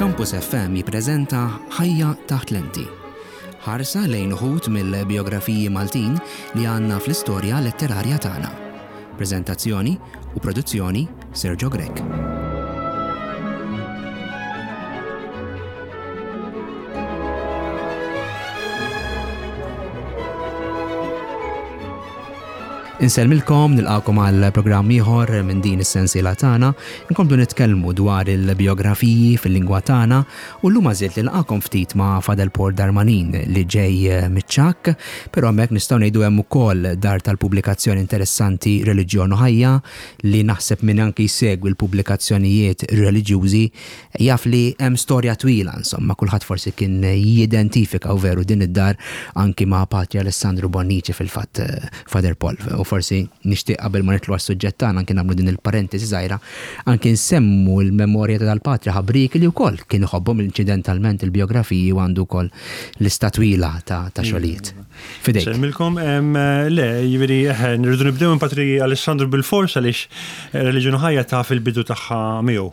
Campus FM jippreżenta Ħajja taħt lenti. Ħarsa lejn uħud mill-bijografiji Maltin li għandna fl-istorja letterarja tagħna. Preżentazzjoni u produzzjoni Sergio Grech. Insellmilkom, nilqakom għal programm ieħor minn din is-sensiela tagħna. Inkomplu nitkellmu dwar il-bijografiji fil-lingwa tagħna u llum għażilt li nilqakom ftit ma' Fadel Paul Darmanin li ġej miċ-Ċakk, però hemmhekk nistgħu ngħidu hemm ukoll dar tal-pubblikazzjoni interessanti Reliġjon u Ħajja li naħseb min anki jsegwi l-pubblikazzjonijiet reliġjużi Jaf li hemm storja twila, insomma, kulħadd forsi kien jidentifika u veru din id-dar anki ma' Patri Alessandru Bonnici fil-fatt, Father Paul. U forsi nixtieq qabel ma nidħlu għas-suġġett tagħna anki nagħmlu din il-parentesi żgħira, anki nsemmu l-memorja ta' dal-Patri ħabrieki li wkoll kien iħobbhom inċidentalment il-bijografiji u għandu wkoll lista twila ta' xogħlijiet. F'idejk. Insellmilkom. Le, jiġifieri, eħe, nirridu nibdew minn Patri Alessandru bilfors għaliex Reliġjon u Ħajja taf il-bidu tagħha miegħu.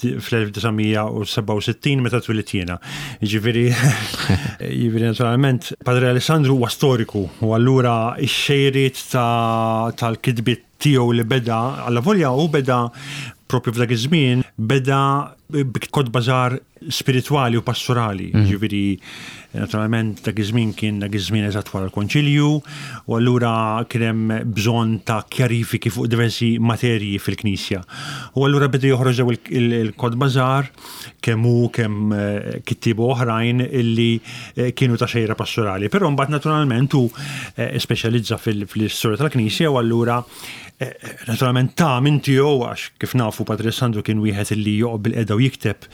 Fl-1967 meta twilit jiena. Jiġifieri, jiġifieri naturalment Padre Alessandru huwa storiku u allura x-xejriet tal-kitbiet tiegħu li beda, allavolja hu beda propju f'dak iż-żmien beda b'kotba żgħar spiritwali u pastorali, mm. ġifieri naturalment dak iż-żmien kien dak iż-żmien eżatt wara l-Konċilju, u allura kien hemm bżonn ta' kjarifiki fuq diversi materji fil-Knisja. U allura beda joħroġ daw il-kotba żgħar kemm hu kemm eh, kittiebu oħrajn illi eh, kienu ta' xejra pastorali. Però mbagħad naturalment hu eh, speċjalizza fil-istorja tal-Knisja u allura Naturalment ta' minn tiegħu għax kif nafu Padre Sandro kien wieħed illi joqgħod bil-qeda u jikteb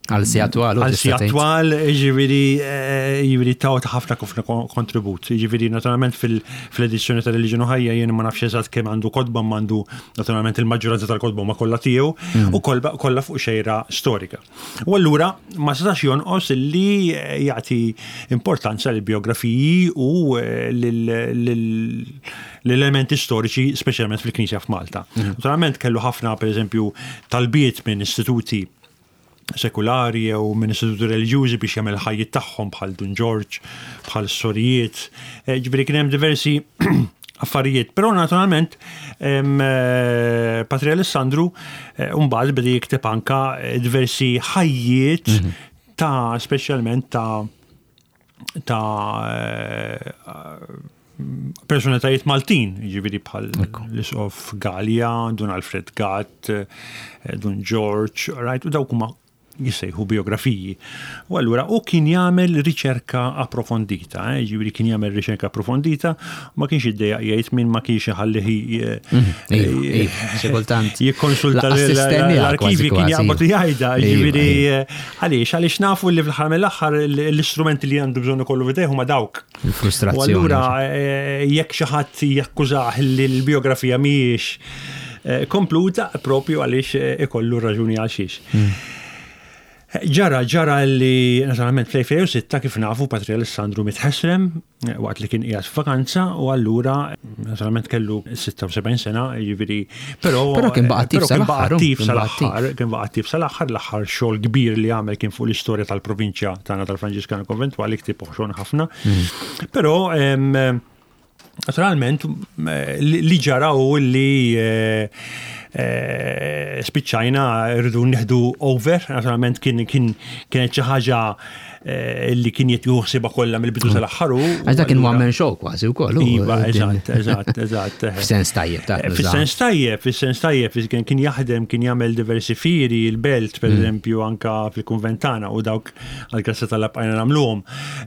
Għal si attwal. Għal si attwal, ġiviri, eh, ġiviri ta' ħafna ħafna kontribut. Ġiviri, naturalment fil-edizzjoni ta' Reliġjon u Ħajja jien ma nafx eżatt kemm għandu kodba għandu naturalment il-maġġoranza tal-kodba ma kollha tiegħu mm. u kollha fuq xejra storika. U allura ma setax jonqos li jagħti importanza lill biografiji u eh, l-elementi storiċi speċjalment fil-Knisja f'Malta. Mhm. Naturalment kellu ħafna pereżempju talbiet minn istituti sekulari jew minn istituti reliġjużi biex jagħmel ħajjiet tagħhom bħal Dun Ġorġ, bħal sorijiet. Eh, ġifieri kien hemm diversi affarijiet. Però naturalment eh, Patri Alessandru eh, mbagħad beda jikteb anka diversi ħajjiet mhm. ta' speċjalment ta' ta' personalitajiet Maltin, ġiviri bħal l-Isqof Gallia, Dun Alfred Gatt, eh, Dun George, right, u dawk huma jissejħu biografiji. U allura u kien jagħmel riċerka approfondita, eh, ġifieri kien jagħmel riċerka approfondita, ma kienx iddejjaq jgħid min ma kienx iħallih eh, mhm, iva, iva, xi kultant jikkonsulta l-arkivi kien jaqbad jgħidha, iva, ġifieri għaliex għaliex nafu li fl-aħħar mill-aħħar l-istrumenti li għandu bżonn ikollu f'idejh huma dawk. Il-frustrazzjoni. U allura eh, jekk xi ħadd jakkużah li l-biografija mhijiex eh, kompluta propju għaliex eh, ikollu raġuni għal xiex. Hmm. Ġara, ġara li naturalment fl-2006 kif nafu Patri Alessandru mitħesrem waqt li kien qiegħed f'vakanza u allura naturalment kellu 76 sena, jiġifieri però però kien baqa' attiv sal-aħħar. Sal-aħħar, kien baqa' attiv sal-aħħar, l-aħħar xogħol kbir li għamel kien fuq l-istorja tal-provinċja tagħna tal-Franġiskana Konventwali ktieb oħxon ħafna. Mm. Però naturalment li ġara u li eh, eh, spiċċajna rridu nieħdu over, naturalment kien kienet xi ħaġa eh, li kien jitju ħsiba kollha mill-bidu mm. sal-aħħar u. Għax dak kien one man show kważi wkoll. Iva, eżatt, eżatt, eżatt. F'sens tajjeb ta' Fis-sens tajjeb, fis-sens tajjeb, kien jaħdem, kien jagħmel diversi fieri, il-belt, per mm. eżempju, anka fil-kunventana u dawk għal-grazzja tal-bqajna nagħmluhom.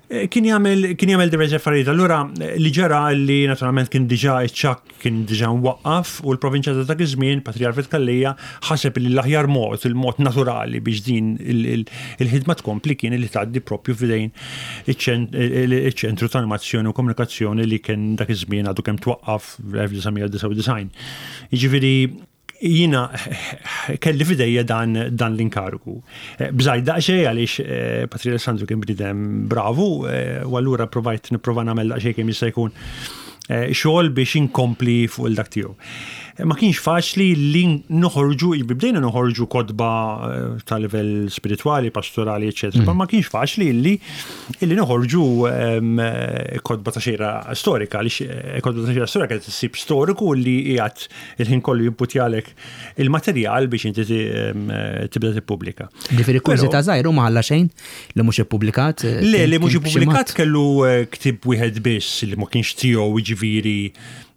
Eh, kien jagħmel kien jagħmel diversi affarijiet. Allura eh, li ġara li naturalment kien diġà iċ-ċakk kien diġà mwaqqaf u l-provinċja ta' dak iż-żmien, Patri Alfred Calleja, ħaseb li l-aħjar mod, il-mod naturali biex din il-ħidma tkompli kien li tgħaddi propju f'idejn iċ-ċentru ta' animazzjoni u komunikazzjoni li kien dak iż-żmien għadu kemm twaqqaf fl-1999. Jiġifieri jiena kelli f'idejja dan, dan l-inkarigu. Eh, bżajt daqsxejn għaliex eh, Patri Alessandru kien bniedem bravu eh, u allura provajt nipprova nagħmel daqsxejn kemm jista' jkun xogħol biex inkompli fuq il-dak tiegħu. Ma kienx faċli li noħorġu, bdejna noħorġu kotba eh, ta' livell spiritwali, pastorali, eccetera, mm. ma kienx faċli li illi noħorġu ehm, kotba ta' xejra storika, għaliex eh, kotba ta' xejra storika tsib storiku li qiegħed il-ħin kollu jimputjalek il-materjal biex inti ehm, tibda tippubblika. Ġifieri kurżità żgħir ma ħalla xejn li mhux ippubblikat? Eh, Le, li mhux ippubblikat kellu ktieb wieħed biss li ma kienx tiegħu jiġifieri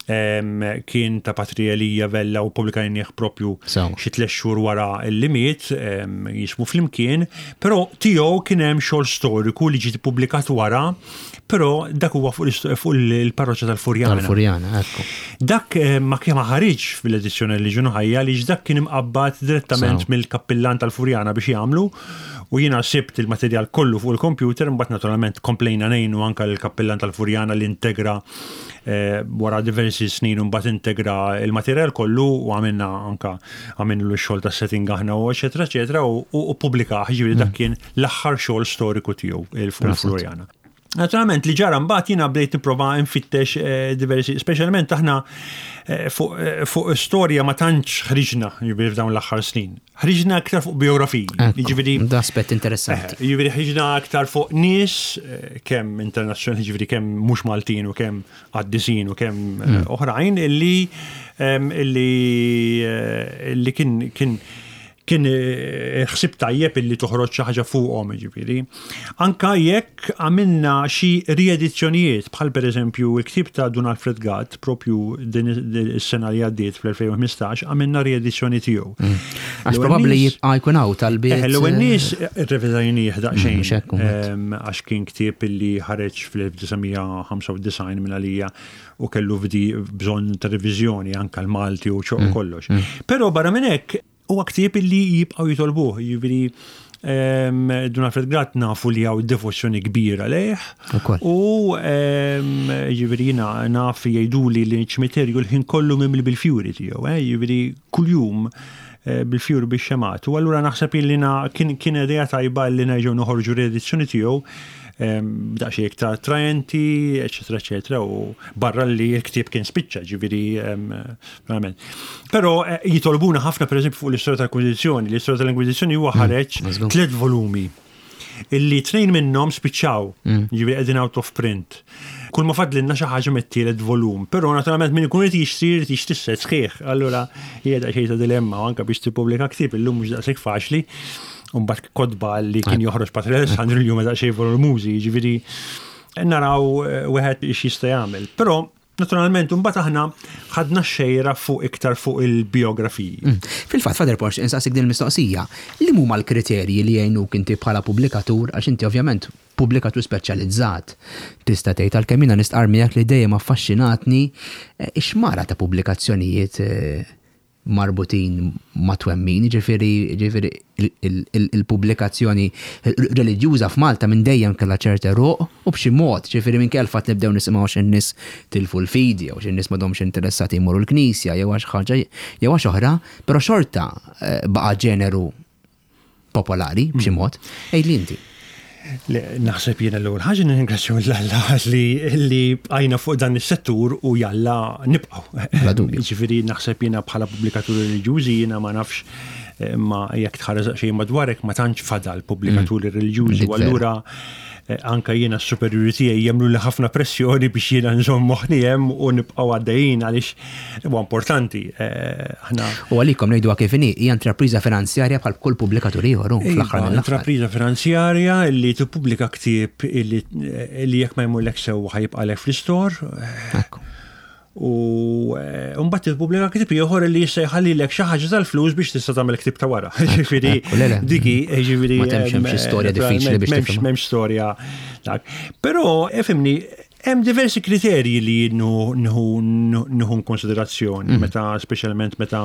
kien ta' Patri Elija Vella u publikajnieh propju xi tliet xhur wara li miet, jismu Flimkien, però tiegħu kien hemm xogħol storiku li ġiet ippubblikat wara, però dak huwa fuq il-parroċċa tal-Furjana. Tal-Furjana, ekku. Dak ma kien ma ħariġx fil-edizzjoni li ġunu ħajja li dak kien imqabbad direttament mill-kappillan tal-Furjana biex jagħmlu u jiena sibt il-materjal kollu fuq il-kompjuter, mbagħad naturalment komplejna ngħinu anke l-kappillan tal-Furjana li integra Eh, wara diversi snin mbagħad integra il-materjal kollu u għamilna anka għamilna x-xogħol ta' setting aħna u eċetera eċetera u pubblika ġifieri dak mm. kien l-aħħar xogħol storiku tiegħu il-Floriana. Naturalment li ġara mbagħad jiena bdejt nipprova nfittex eh, diversi, speċjalment aħna eh, fuq storja ma tantx ħriġna jiġifieri f'dawn l-aħħar snin. Ħriġna aktar fuq biografiji. Jiġifieri Da aspett interessanti. Eh, jiġifieri ħriġna aktar fuq nies eh, kemm internazzjonali, jiġifieri kemm mhux Maltin u kemm qaddisin u kemm eh, hmm. oħrajn illi illi illi kien kien kien ħsib tajjeb illi toħroġ xi ħaġa fuqhom, jiġifieri. Anka jekk għamilna xi riedizzjonijiet bħal pereżempju l-ktieb ta' Dun Alfred Gatt propju din is-sena li għaddiet fl-2015 għamilna riedizzjoni tiegħu. Mm. Għax probabbli jibqa' jkun hawn talbiet. Eh, l-ewwel eh, nies irrevedajnieh daqsxejn mm, għax kien ktieb illi ħareġ fl-1995 minn għalija u kellu bżonn ta' reviżjoni anka l-Malti u mm, kollox. Mm. Però barra minn hekk Huwa ktieb illi jibqgħu jitolbuh, jiġifieri ehm, Dun Alfred Gatt nafu li hawn devozzjoni kbira lejh. U ehm, jiġifieri jiena naf jgħiduli li ċ-ċimiterju l-ħin kollu mimli bil-fjuri tiegħu, eh, jiġifieri kuljum eh, bil-fjuri bix-xemgħat. U allura naħseb illi kien kien idea tajba li nerġgħu noħorġu riedizzjoni tiegħu ehm, daqsxejn iktar attraenti, eċetera, eċetera, u barra li l-ktieb kien spiċċa, ġifieri Verament. Però eh, jitolbuna ħafna pereżempju fuq l-istorja tal-Inkwiżizzjoni. L-istorja tal-Inkwiżizzjoni huwa mm, ħareġ tliet volumi illi tnejn minnhom spiċċaw, mm. ġifieri qegħdin out of print. Kull ma fadlinna xi ħaġa mit-tielet volum, però naturalment min ikun irid jixtri jrid jixtri set sħiħ. Allura hija daqsxejn ta' dilemma anke biex tippubblika ktieb illum mhux daqshekk faċli. Mbagħad kotba li kien joħroġ Patri Alessandru li huma daqsxejn volumużi, jiġifieri naraw eh, wieħed x'jista' jagħmel. Però Naturalment, imbagħad aħna ħadna x-xejra fuq iktar fuq il-bijografiji. Mm. Fil-fatt, Father Porsche, insaqsik din il-mistoqsija, li huma l-kriterji li jgħinuk inti bħala pubblikatur, għax inti ovvjament pubblikatur speċjalizzat, tista' tgħid għalkemm jiena nistqarr miegħek li dejjem affaxxinatni eh, ix-xmara ta' pubblikazzjonijiet eh, marbutin ma' twemmin, jiġifieri jiġifieri il-pubblikazzjoni reliġjuża f'Malta minn dejjem kellha ċert għeruq u b'xi mod, jiġifieri minkejja l-fatt li bdew nisimgħu għax in-nies tilfu l-fidi jew għax in-nies m'għadhomx interessati jmorru l-knisja jew għax ħaġa jew għax oħra, però xorta baqa' ġeneru popolari b'xi hmm. mod. Għidli inti. Naħseb jiena l-ewwel ħaġa nirringrazzjaw lil Alla li li bqajna fuq dan is-settur u jalla nibqgħu. Bla dubju. Jiġifieri naħseb jiena bħala pubblikaturi reliġjużi jiena ma nafx eh, ma jekk tħares xejn madwarek ma tantx fadal pubblikaturi mm. reliġjużi u allura eh, anka jiena s-superjuri tiegħi jagħmlu li ħafna pressjoni biex jiena nżomm moħħni hemm u nibqgħu għaddejjin għaliex Huwa importanti eh, aħna. U għalikom ngħiduha kif inhi, hija intrapriża finanzjarja bħal kull pubblikatur ieħor hu fl-aħħar iva, mill-aħħar. Intrapriża finanzjarja li tippubblika ktieb illi jekk ma jmurlek sew ħajibqalek fl-istor. Ekku. U eh, mbagħad tippubblika ktieb ieħor li jista' jħallilek xi ħaġa tal-flus biex tista' tagħmel ktieb ta' wara. Ġifieri diki, ġifieri. Ma temx hemm xi storja diffiċli biex tifhem. M'hemmx storja dak. Però ifhimni Hemm diversi kriterji li nieħu konsiderazzjoni mm. meta speċjalment meta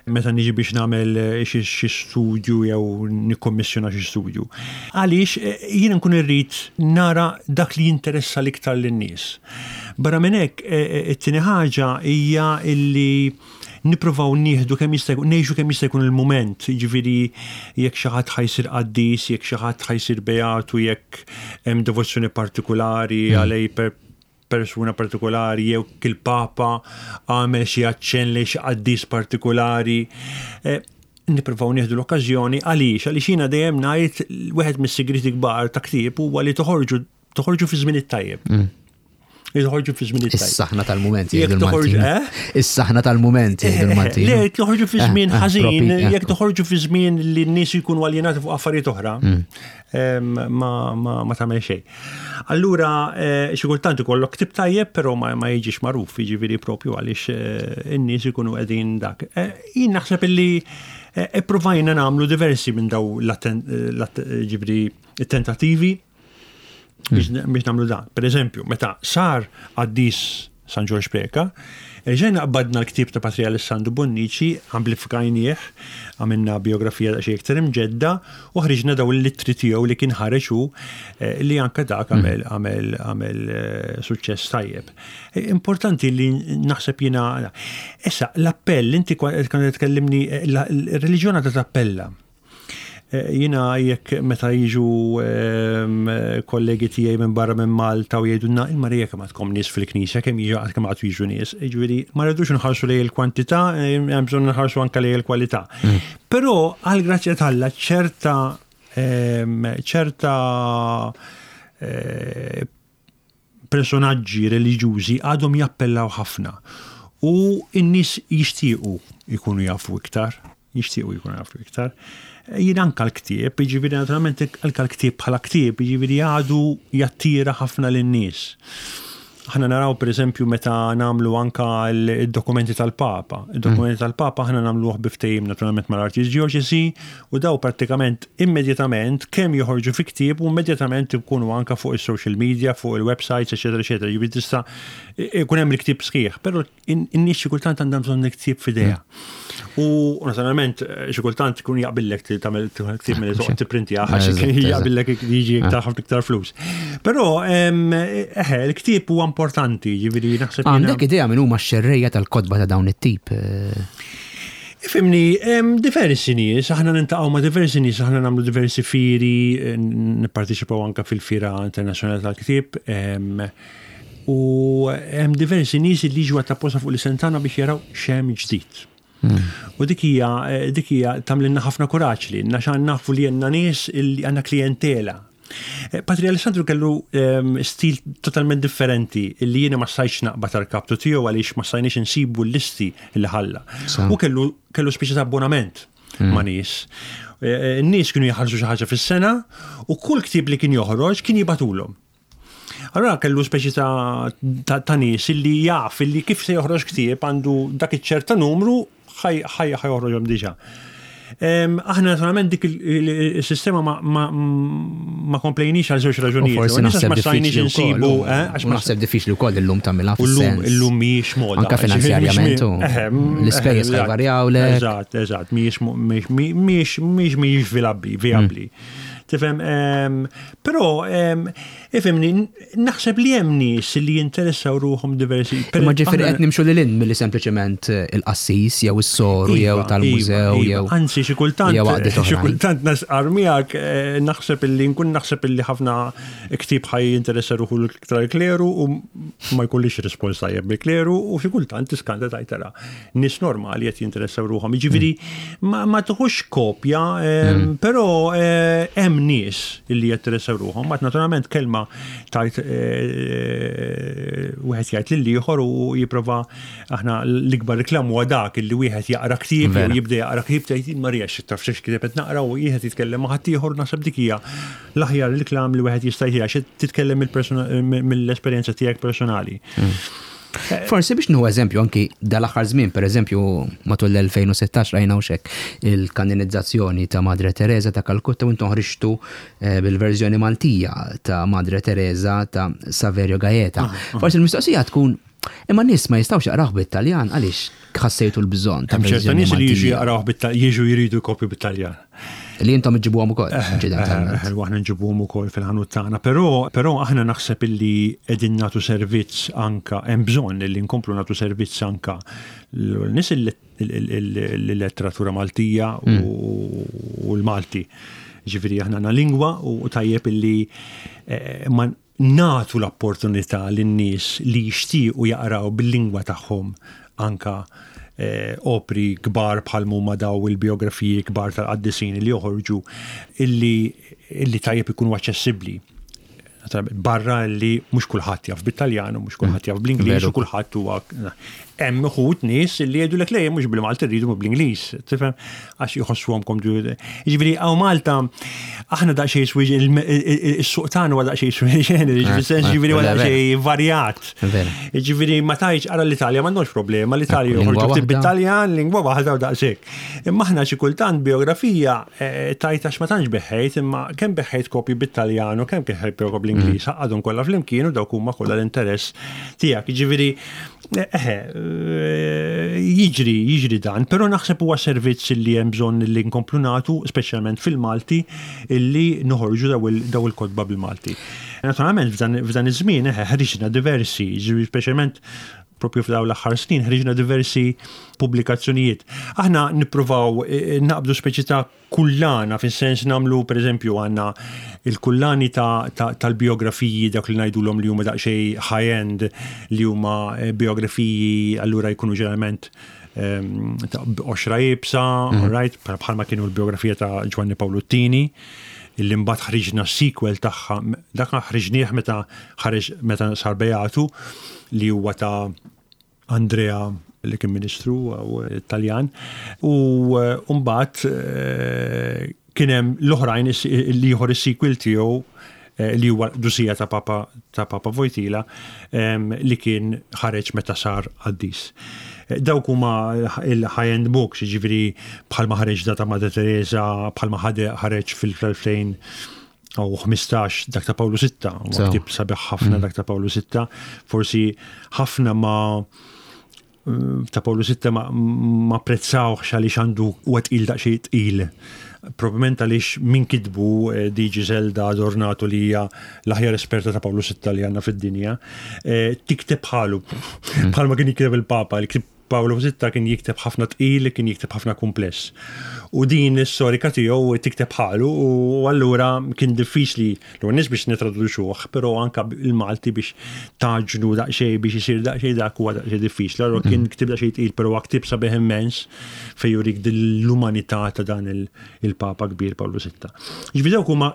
meta niġi biex nagħmel eh, xi studju jew nikkommissjona xi studju. Għaliex eh, jien nkun irrid nara dak li jinteressa l-iktar lin-nies. Barra minn hekk eh, it-tieni ħaġa hija illi nippruvaw nieħdu kemm jista' jkun, ngħixu kemm jista' jkun il-mument, jiġifieri jekk xi ħadd ħa jsir qaddis, jekk xi ħadd ħa jsir beatu, jekk hemm devozzjoni partikulari mm. għalej per persuna partikolari jew il-Papa għamel xi aċċenn lejn xi qaddis partikolari. Eh, nippruvaw nieħdu l-okkażjoni għaliex għaliex jiena dejjem ngħid wieħed mis-sigriti kbar ta' ktieb huwa li toħorġu toħorġu fi żmien it-tajjeb. Li toħorġu fi żmien it-tajjeb. Is-saħna tal-mument jgħidu l-Maltin. Eh? Is-saħna tal-mument jgħidu eh, l-Maltin. Le, toħorġu fi żmien ħażin, jekk toħorġu fi żmien li n-nies jkunu aljenati fuq affarijiet oħra. Mm. Ma tagħmel xejn. Allura, eh, xi kultant ikollok ktib tajjeb, però ma jiġix magħruf, jiġifieri propju għaliex eh, in-nies ikunu qegħdin dak. Eh, jien naħseb illi ippruvajna nagħmlu diversi minn daw ġifieri tentativi biex hmm. nagħmlu dan. Per eżempju, meta sar qaddis San Ġorġ Preca, Ġejna qbadna l-ktieb ta' Patri Alessandro Bonnici, amplifikajnieh, għamilna biografija daqsxejn iktar imġedda u ħriġna daw l-ittri tiegħu li kien ħareġ hu eh, li anke dak hmm. għamel għamel għamel eh, suċċess tajjeb. Eh, importanti li naħseb jiena issa l-appell inti kont tkellimni il-reliġjon għadha tappella. Eh, jina jekk meta jiġu ehm, kollegi tiegħi minn barra minn Malta u jgħidulna il-Marija kemm għadkom nies fil-knisja, kemm jiġu kemm għad jiġu nies. Jiġifieri ma rridux nħarsu lejn il-kwantità, eh, hemm bżonn nħarsu anke lejn il-kwalità. Mm. Però għal grazzja t'Alla ċerta ehm, ċerta eh, personaġġi reliġjużi għadhom jappellaw ħafna u n-nies jixtiequ jkunu jafu iktar, jixtiequ jkunu jafu iktar. Jien anka l-ktieb, jiġifieri naturalment anka l-ktieb bħala ktieb, jiġifieri għadu jattira ħafna lin-nies. Aħna naraw pereżempju meta nagħmlu anka d-dokumenti tal-Papa. Id-dokumenti mm. tal-Papa aħna nagħmluh bi ftehim naturalment mal-Arċidjoċesi u daw prattikament immedjatament kemm joħorġu fi ktieb u immedjatament ikunu anka fuq is-social media, fuq il-websites, eċetera, eċetera. Jiġifieri tista' ikun hemm il-ktieb sħiħ, però in-nies xi kultant għandhom bżonn il-ktieb f'idejha. Mm. U naturalment xi kultant ikun jaqbillek tagħmel ktieb milli toqgħod tipprinti għax jaqbillek jiġi iktar ħafna iktar flus. Però eħe, il-ktieb huwa importanti, jiġifieri naħseb. Għandek idea minn huma x-xerrejja tal-kotba ta' dawn it-tip? Eh? Ifimni, diversi nies, aħna nintaqgħu ma' diversi nies, aħna nagħmlu diversi fieri, eh, nipparteċipaw anke fil-Fiera Internazzjonali tal-Ktieb. U hemm diversi nies li jiġu għat-tapposta fuq l-isem tagħna biex jaraw x'hemm ġdid. Hmm. U dik hija eh, dik hija tagħmlilna ħafna kuraġġ li għax nafu li għandna nies li għandna klijentela Eh, Patri Alessandru kellu ehm, stil totalment differenti li jiena ma stajtx naqbad tal-kaptu tiegħu għaliex ma stajniex insibu l-listi li ħalla. U kellu kellu speċi ta' abbonament hmm. ma' nies. Eh, eh, n-nies kienu jaħarsu xi ħaġa fis-sena u kull ktieb li kien joħroġ kien jibatulhom. Allora kellu speċi ta', ta, ta nies illi jaf illi kif se joħroġ ktieb għandu dak iċ-ċerta numru ħaj ħoħroġhom diġà. Aħna naturalment dik il-sistema ma komplejniex għal żewġ raġunijiet. Forsi naħseb ma stajniex insibu. Eh, għax naħseb diffiċli wkoll illum tagħmilha fis-sens. Illum mhijiex moda. Anka finanzjarjament. Eh, l-ispejjeż ħajvarjaw le. Eżatt, eżatt, mhijiex mhijiex mhijiex vijabbli. Mm. Tifhem, però Ifhimni, naħseb li hemm nies li jinteressaw ruħhom diversi. Imma ġifieri qed nimxu lil hinn milli sempliċement il-qassis jew is-soru jew iva, tal-mużew iva, iva. jew. Anzi xi kultant xi kultant nasqar miegħek eh, naħseb illi nkun naħseb illi ħafna ktieb ħaj jinteressa ruħu l-iktar kleru u ma jkollix rispons tajjeb mill-kleru u xi kultant tiskanta tajtara. Nies normali qed jinteressaw ruħhom. Jiġifieri mm. ma tuħux kopja, mm. però eh, hemm nies li jinteressaw ruħhom. Mat naturalment kelma tajt eh, wieħed jgħid lil ieħor u jipprova aħna l-ikbar reklam huwa dak illi wieħed jaqra ktieb jew jibda jaqra ktieb tgħid Marija xi taf xi ktieb qed naqra u wieħed jitkellem ma' ħaddieħor naħseb dik hija l-aħjar reklam li wieħed jista' jħi għax titkellem mill-esperjenza tiegħek personali. Mm. Forsi biex nieħu eżempju anki dal-aħħar żmien, pereżempju matul l-2016 rajna hawnhekk il-kanonizzazzjoni ta' Madre Teresa ta' Kalkutta u intom ħriġtu eh, bil-verżjoni Maltija ta' Madre Teresa ta' Saverio Gaeta. Ah, ah. Forsi l-mistoqsija tkun imma nies ma jistgħux jaqrawh bit-Taljan għaliex ħassejtu l-bżonn ta' ċerta nies li jiġu jaqrawh bit-Taljan, jiġu jridu kopju bit-Taljan. Li intom iġibuhom ukoll, eh, eh, eh, aħna nġibuhom ukoll fil-ħanut tagħna, però però aħna naħseb illi qegħdin nagħtu servizz anka hemm bżonn illi nkomplu nagħtu servizz anka l-nies il-letteratura Maltija mm. u l-Malti. Ġifieri aħna għandna lingwa u tajjeb illi nagħtu l-opportunità lin-nies li jixtiequ jaqraw bil-lingwa tagħhom anka eh, opri kbar bħal huma daw il-biografiji kbar tal-qaddisin li joħorġu illi, illi tajjeb ikunu aċċessibbli. Barra li mhux kulħadd jaf bit-Taljan u mhux kulħadd jaf bl-Ingliż u kulħadd huwa hemm uħud nies li jgħidulek le mhux bil-Malti rridu bl-Ingliż, tifhem għax jħossuhom komdu. Jiġifieri hawn Malta aħna daqsxejn swi is-suq tagħna huwa daqsxejn swi ġifieri jiġifieri huwa daqsxejn varjat. Jiġifieri ma tgħidx ara l-Italja m'għandhomx problema, l-Italja joħorġu ktib bit-Taljan, lingwa waħda u daqshekk. Imma aħna xi kultant biografija eh, tajt għax ma tantx beħħejt, imma kemm beħħejt kopji bit-Taljan u kemm beħħejt kopji bl-Ingliż, mm. għadhom kollha flimkien u dawk huma kollha l-interess tiegħek. Jiġifieri eh, eh, jiġri, jiġri dan, però naħseb huwa servizz li hemm bżonn li nkomplu nagħtu, speċjalment fil-Malti, illi noħorġu daw il-kotba bil-Malti. Naturalment f'dan iż-żmien ħriġna diversi, speċjalment propju f'daw l-aħħar snin ħriġna diversi pubblikazzjonijiet. Aħna nippruvaw eh, eh, naqbdu speċi ta' kullana, fis-sens namlu per eżempju għandna il-kullani tal-biografiji dak li ngħidulhom li huma daqsxejn high-end li huma eh, biografiji allura jkunu ġeneralment ehm, ta' oxra ibsa, mm. right, bħalma kienu l-biografija ta' Giovanni Paolo Tini illi mbagħad ħriġna sequel tagħha, dak ħriġnieh meta ħareġ meta sar Beatu li huwa ta' Andrea li kien ministru Taljan u mbagħad eh, kien hemm l-oħrajn li ieħor is-sequel tiegħu eh, li huwa dusija ta' Papa ta' Papa Vojtila li kien ħareġ meta sar qaddis. Eh, dawk huma il-high-end books, jiġifieri bħalma ħareġ da ta' Madre Teresa, bħalma ħareġ fil-2000 u 15 dak ta' Pawlu VI, u ktib sabiħ ħafna mm. dak ta' Pawlu VI, forsi ħafna ma ta' Pawlu VI ma, ma prezzawx għaliex għandu huwa tqil daqsxejn tqil. Probabbilment għaliex min kitbu eh, di Giselda Adornato li hija l-aħjar esperta ta' Pawlu VI li għandna fid-dinja, eh, tikteb bħalu. Mm. Bħalma kien jikteb il-Papa, li ktib Pawlu VI kien jikteb ħafna tqil, kien jikteb ħafna kumpless. U din is-storika tiegħu tikteb bħalu u allura kien diffiċli L-ewwel nies biex nitraduċuh, però anka il-Malti biex taġnu daqsxejn biex isir daqsxejn dak huwa daqsxejn diffiċli. Allura kien mm. ktib daqsxejn tqil, però huwa ktib sabiħ immens fejn jurik l-umanità ta' dan il-Papa kbir Pawlu VI. Ġifieri dawk huma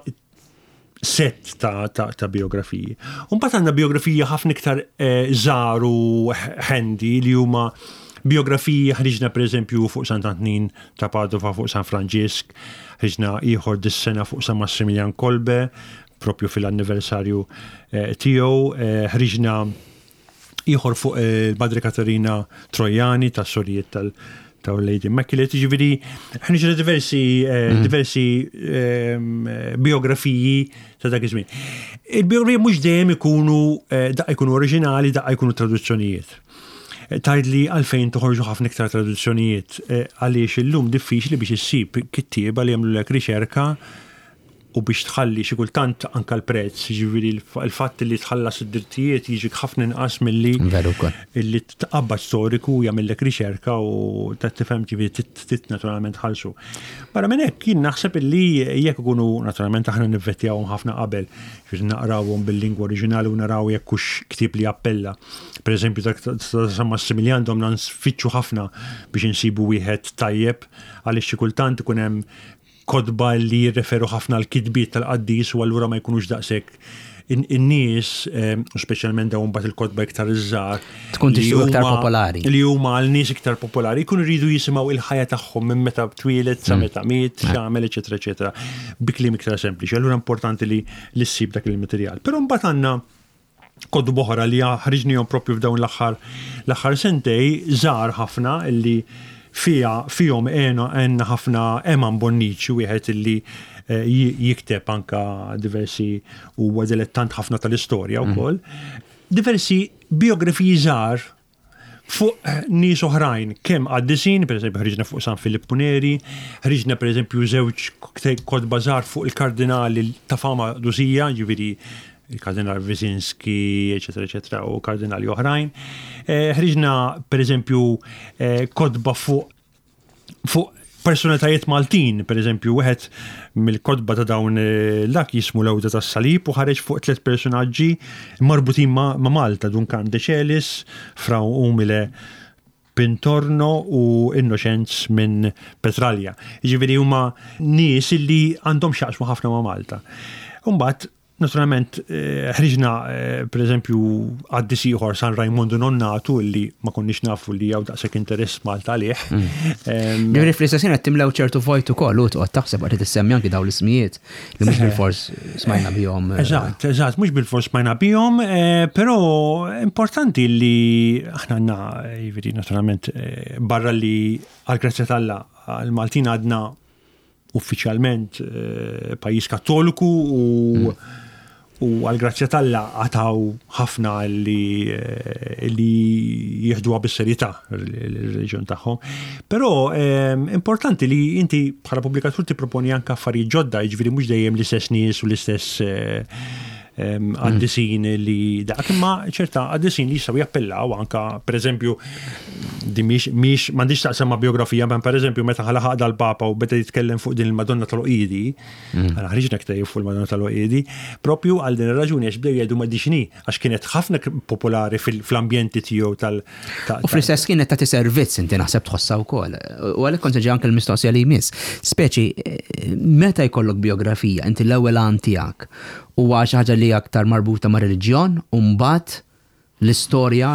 set ta', ta, ta biografiji. Mbagħad għandna biografiji ħafna iktar eh, żgħar u handy li huma biografiji ħriġna pereżempju fuq Sant'Antnin ta' Padova fuq San Franġisk, Ħriġna ieħor dis-sena fuq San Massimiljan Kolbe, propju fil-anniversarju eh, tiegħu. Eh, ħriġna ieħor fuq eh, il-Madre Katerina Trojani tas sorijiet tal- ta' Lady Immaculate, ġiviri, ħriġna diversi, mhm. diversi ehm, biografiji ta' dak iż-żmien. Il-biografiji mhux dejjem ikunu daqqa jkunu oriġinali, daqqa jkunu traduzzjonijiet. Tgħidli għalfejn toħorġu ħafna iktar traduzzjonijiet eh, għaliex illum diffiċli biex issib kittieba li jagħmlulek riċerka u biex tħalli xi kultant anka l-prezz, jiġifieri l-fatt li tħallas id-drittijiet jiġik ħafna inqas milli li tqabbad storiku jagħmellek riċerka u ta' tifhem ġifieri tit naturalment tħallsu. Barra minn hekk jien naħseb illi jekk ikunu naturalment aħna nivvettjawhom ħafna qabel, ġifieri naqrawhom bil-lingwa oriġinali u naraw jekk hux ktieb li jappella. Per eżempju, dak ta' San Massimiljan domna nfittxu ħafna biex insibu wieħed tajjeb għaliex xi kultant ikun hemm kotba li jirreferu ħafna l-kitbiet tal-qaddis u allura ma jkunux daqshekk in-nies, eh, u speċjalment dawn mbagħad il-kotba iktar iż-żgħar. Tkun tixtieq iktar popolari. Li huma għal nies iktar popolari, jkunu jridu jisimgħu il-ħajja tagħhom minn meta twieled sa mm. meta miet, eh. x'għamel, eċetera, eċetera, bi kliem iktar sempliċi. Allura importanti li ssib dak il-materjal. Però mbagħad għandna Kotba oħra li ħriġnihom propju f'dawn l-aħħar l-aħħar sentej żgħar ħafna illi fiha fihom għena għenna ħafna Eman Bonnici wieħed illi eh, jikteb anka diversi huwa dilettant ħafna tal-istorja mhm. wkoll. Diversi biografiji żgħar fuq nies oħrajn, kemm qaddisin, per eżempju ħriġna fuq San Filippu Neri, ħriġna per eżempju żewġ kotba żgħar fuq il-kardinali ta' fama dusija, ġifieri il-kardinal Wyszynski, eċetera, eċetera, u kardinali oħrajn. Eh, ħriġna per eżempju eh, kotba fuq fuq Personalitajiet Maltin, per eżempju, wieħed mill-kotba ta' dawn eh, dak jismu l-Ewda tas-Salib u ħareġ fuq tliet personaġġi marbutin ma' Malta, Dun Karm de Celis, Fra Umile Pintorno u Innoċenz minn Petralja. Jiġifieri huma nies illi għandhom x'jaqsmu ħafna ma' Malta. Imbagħad Naturalment, eh, ħriġna eh, per eżempju għaddis ieħor San Rajmondu Nonnatu illi ma konniex nafu li hawn daqshekk interess Malta għalih. Mm. Ġifieri fl-istess qed timlew ċertu vojt ukoll u toqgħod taħseb qed tissemmi anki dawn l-ismijiet li mhux bil-fors smajna bihom. Eh. Eżatt, eżatt, mhux bil-fors smajna bihom, però importanti li aħna għandna jiġifieri naturalment barra li għall-grazzja t'Alla l-Maltin għadna uffiċjalment eh, pajjiż kattoliku u mm. u għal-grazzja t'Alla għataw ħafna li, eh, li jieħduha bis-serjetà l-reliġjon tagħhom. Però eh, importanti li inti bħala pubblikatur tipproponi anke affarijiet ġodda, jiġifieri mhux dejjem l-istess nies u l-istess qaddisin li dak, imma ċerta qaddisin li jistgħu jappellaw anka pereżempju di mhix mhix m'għandix taqsam ma' biografija, ma pereżempju meta ħalaħaq dal-Papa u beda jitkellem fuq din il-Madonna tal-Oqidi, mm. għala ħriġna ktejjeb fuq il-Madonna tal-Oqidi, propju għal din ir-raġuni għax bdew jgħidu ma dixni għax kienet ħafna popolari fl-ambjenti tiegħu tal U fl-istess kienet tagħti servizz inti naħseb tħossha wkoll. U għalhekk kont ġi anke l-mistoqsija li jmiss. Speċi meta jkollok biografija, inti l-ewwel għan tiegħek huwa xi ħaġa li aktar marbuta ma' reliġjon u mbagħad l-istorja,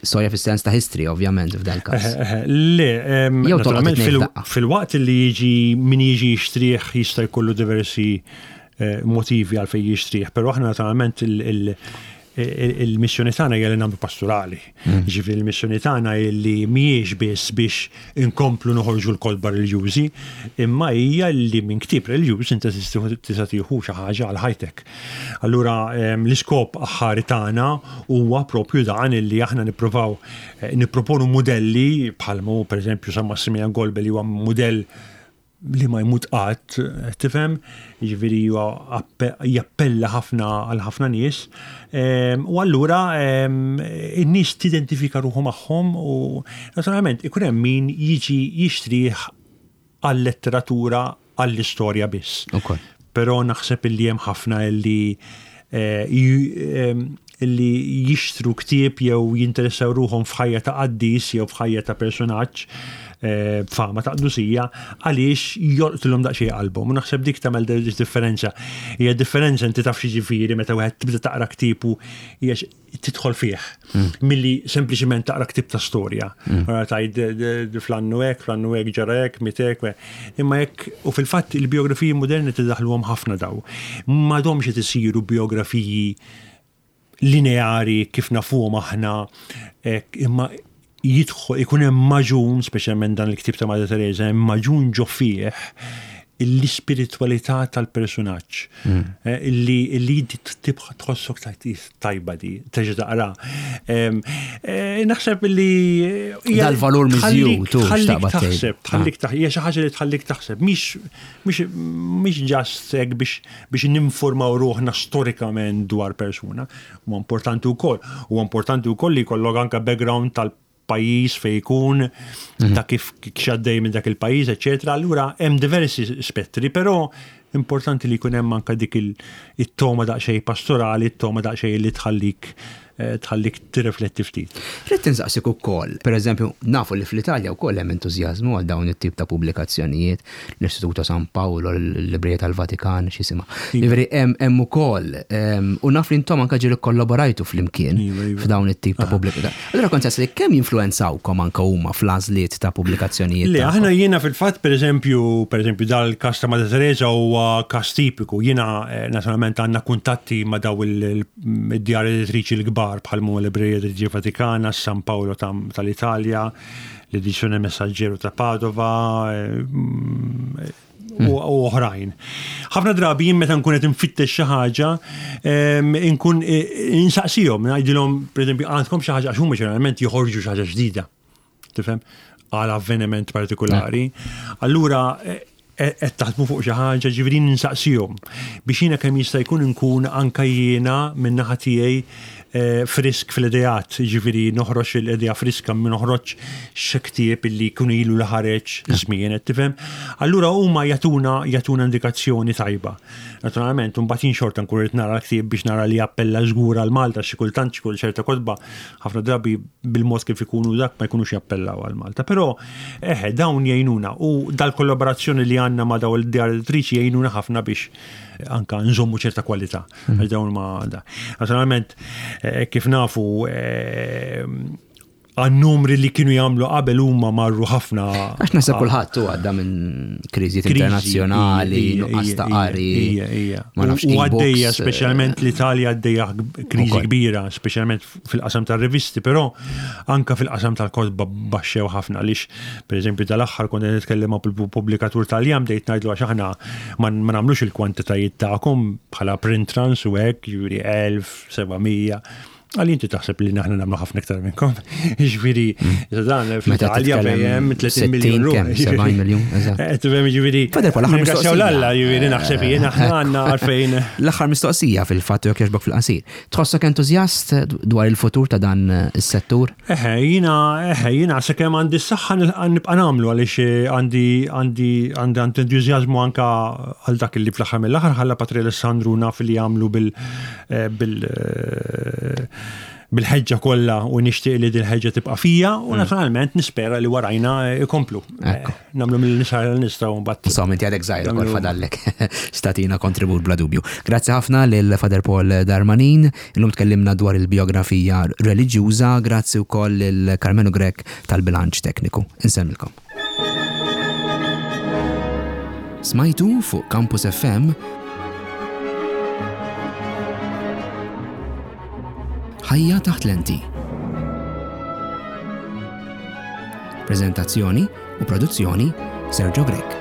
storja fis-sens ta' history ovvjament f'dan każ. Le, naturalment fil-waqt li jiġi min jiġi jixtrih jista' jkollu diversi eh, motivi għalfejn jixtrih, però aħna naturalment il-missjoni tagħna hija li nagħmlu pastorali. Mm. Ġifieri il-missjoni tagħna li mhijiex biss biex inkomplu noħorġu l-kotba reliġjużi, imma hija li minn ktieb reliġjuż inti tista' tieħu xi ħaġa għal ħajtek. Allura l-iskop aħħari tagħna huwa propju dan illi aħna nippruvaw eh, nipproponu mudelli bħalmu pereżempju San Massimilian Kolbe li huwa mudell li ma jmut qatt, tifhem, jiġifieri huwa jappella ħafna għal ħafna nies. Ehm, u allura ehm, in-nies tidentifika ruħu magħhom u naturalment ikun hemm min jiġi jixtrih għal-letteratura għall-istorja biss. Però naħseb illi hemm ħafna illi eh, ehm, li jixtru ktieb jew jinteressaw ruħhom f'ħajja ta' qaddis jew f'ħajja ta' personaġġ eh, b'fama ta' qdusija għaliex jolqtilhom daqsxejn qalbhom. U naħseb dik tagħmel differenza. Hija differenza inti taf xi meta wieħed tibda taqra ktieb u hija tidħol fih hmm. milli sempliċiment taqra ktieb ta' storja. Hmm. Tgħid fl-annu hekk, fl-annu hekk ġara hekk, miet hekk. Imma jekk, u fil-fatt il-biografiji moderni tiddaħluhom ħafna daw. M'għadhomx qed isiru biografiji lineari kif nafuhom aħna, imma jidħol ikun hemm maġun, speċjalment dan il-ktieb ta' Madre Teresa, hemm maġun ġo fih l-ispiritwalità tal-persunaġġ. Mm. Eh, illi illi tibqa' tħossok tajba di, terġa' taqra. Eh, naħseb illi dal-valur miżjud tħallik taħseb, tħallik ah. taħseb, hija xi ħaġa li tħallik taħseb, mhix mhix ġast hekk biex biex ninformaw ruħna storikament dwar persuna. Huwa importanti wkoll. Huwa importanti wkoll li jkollok anke background tal pajjiż fejn ikun, mhm. ta' kif xaddej minn dak il-pajjiż, eċetera. Allura hemm diversi spettri, però importanti li jkun hemm anke dik it-toma daqsxejn pastorali, it-toma daqsxejn li tħallik eh, tħallik tirrifletti ftit. Rrid insaqsik ukoll, pereżempju, nafu li fl-Italja wkoll hemm entużjażmu għal dawn it-tip ta' pubblikazzjonijiet, l-Istituto San Paolo, l-Librija tal-Vatikan, x'jisimha. Jiġifieri hemm ukoll, u naf li intom anke ġieli kollaborajtu flimkien iva, iva. f'dawn it-tip ta' pubblikazzjoni. Allura kont li kemm jinfluwenzawkom anke huma fl-għażliet ta' pubblikazzjonijiet? Le, aħna jiena fil-fatt pereżempju, pereżempju dal-każ ta' Madre Teresa huwa każ tipiku. Jiena eh, naturalment għandna kuntatti ma' daw il-djar editriċi l-kbar bħal mu l-Librija Editriċi Vatikana, San Paolo tal-Italja, l-Edizione Messaggero ta' Padova eh, u oħrajn. Ħafna drabi jien meta nkun qed infittex xi ħaġa, nkun eh, insaqsihom, ngħidilhom pereżempju għandkom xi ħaġa għax huma ġeneralment joħorġu xi ħaġa ġdida. Tifhem? Għal avveniment partikolari. Allura eh, Qed taħdmu fuq xi ħaġa, ġifieri ninsaqsihom biex jiena kemm jista' jkun inkun anke jiena min-naħa tiegħi eh, frisk fl-ideat, ġifieri noħroġ l-idea friska ma noħroġ xi ktieb illi jkun ilu li ħareġ żmien, qed tifhem? Allura huma jagħtuna jagħtuna indikazzjoni tajba. Naturalment, imbagħad jien xorta nkun irid nara l-ktieb biex nara li jappella żgur għal Malta xi kultant xi kull ċerta kotba ħafna drabi bil-mod kif ikunu dak ma jkunux jappellaw għal Malta. Però eħe dawn jgħinuna u dal-kollaborazzjoni li għandna ma' dawn il-djar editriċi jgħinuna ħafna biex anka nżommu ċerta kwalità. Mm. Għax dawn ma da. Naturalment, eh, kif nafu eh, għan-numri li kienu jagħmlu qabel huma marru ħafna. Għax naħseb kulħadd u għadda minn kriżijiet internazzjonali, nuqqas ta' qari. Ma nafx. U għaddejja eh, speċjalment l-Italja għaddejja kriżi kbira, speċjalment fil-qasam tar-rivisti, però anka fil-qasam tal-kotba baxxew ħafna għaliex pereżempju tal-aħħar kont qed nitkellem ma' pubblikatur Taljan bdejt ngħidlu għax aħna ma nagħmlux il-kwantitajiet tagħkom bħala print runs u hekk, jiġifieri 1700. Għalli inti taħseb li naħna nagħmlu ħafna iktar minnkom. Jiġifieri, mm. dan fl-Italja fejn 30 miljun ruħ. 70 miljun, eżatt. Eh, tifhem jiġifieri. Fader l-aħħar mistoqsija. L-Alla jiġifieri naħseb jien aħna għandna għalfejn. L-aħħar mistoqsija fil-fatt jekk jogħġbok fil-qasir. Tħossok entużjast dwar il-futur ta' dan is-settur? Eħe, jiena eħe, jiena sakemm għandi s-saħħa nibqa' nagħmlu għaliex eh, għandi għandi għandi entużjażmu anka għal dak li fl-aħħar mill-aħħar ħalla Patri Alessandru naf li jagħmlu bil Eh, bil eh, bil-ħeġġa kollha u nixtieq li din ħeġġa tibqa' fija u mm. naturalment nispera li warajna ikomplu. Eh, nagħmlu mill-nisa li nistgħu mbagħad. Insomma inti għadek żgħir ukoll fadallek statina kontribut bla dubju. Grazzi ħafna lil Father Paul Darmanin, illum tkellimna dwar il-biografija reliġjuża, grazzi wkoll lil Karmenu Grech tal-bilanċ tekniku. Insemmilkom. Smajtu fuq Campus FM Ħajja taħt lenti. Prezentazzjoni u produzzjoni Sergio Grech.